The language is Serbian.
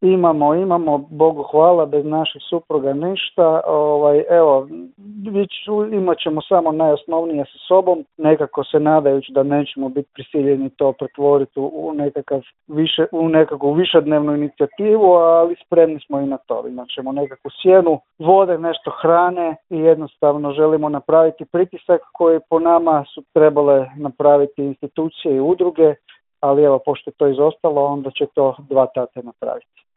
Imamo, Bogu hvala, bez naših supruga ništa. Evo, imat ćemo samo najosnovnije sa sobom, nekako se nadajući da nećemo biti prisiljeni to pretvoriti u nekakvu višednevnu inicijativu, ali spremni smo i na to. Imat ćemo nekakvu sjenu, vode, nešto hrane i jednostavno želimo napraviti pritisak koji po nama su trebale napraviti institucije i udruge, ali evo, pošto je to izostalo, onda će to dva tate napraviti.